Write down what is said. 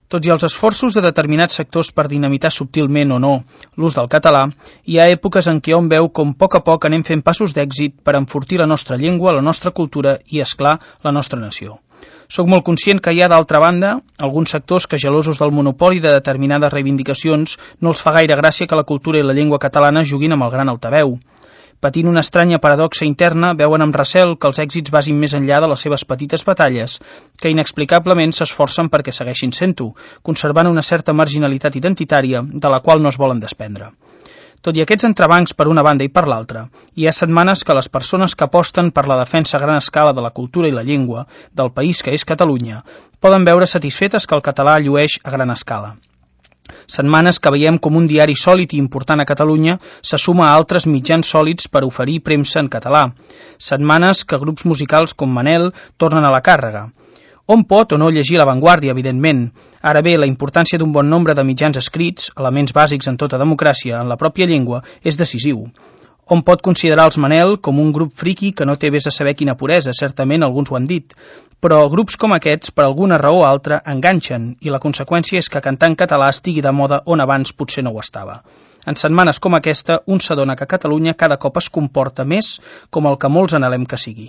Tot i els esforços de determinats sectors per dinamitar subtilment o no l'ús del català, hi ha èpoques en què hom veu com a poc anem fent passos d'èxit per enfortir la nostra llengua, la nostra cultura i, és clar, la nostra nació. Soc molt conscient que hi ha, d'altra banda, alguns sectors que, gelosos del monopoli de determinades reivindicacions, no els fa gaire gràcia que la cultura i la llengua catalana juguin amb el gran altaveu. Patint una estranya paradoxa interna, veuen amb recel que els èxits vagin més enllà de les seves petites batalles, que inexplicablement s'esforcen perquè segueixin sent-ho, conservant una certa marginalitat identitària de la qual no es volen desprendre. Tot i aquests entrebancs per una banda i per l'altra, hi ha setmanes que les persones que aposten per la defensa a gran escala de la cultura i la llengua del país que és Catalunya poden veure satisfetes que el català llueix a gran escala. Setmanes que veiem com un diari sòlid i important a Catalunya se suma a altres mitjans sòlids per oferir premsa en català. Setmanes que grups musicals com Manel tornen a la càrrega. Hom pot o no llegir La Vanguardia, evidentment. Ara bé, la importància d'un bon nombre de mitjans escrits, elements bàsics en tota democràcia, en la pròpia llengua, és decisiu. Hom pot considerar els Manel com un grup friqui que no té vés a saber quina puresa, certament alguns ho han dit, però grups com aquests, per alguna raó o altra, enganxen, i la conseqüència és que cantar en català estigui de moda on abans potser no ho estava. En setmanes com aquesta, un s'adona que Catalunya cada cop es comporta més com el que molts anhelem que sigui.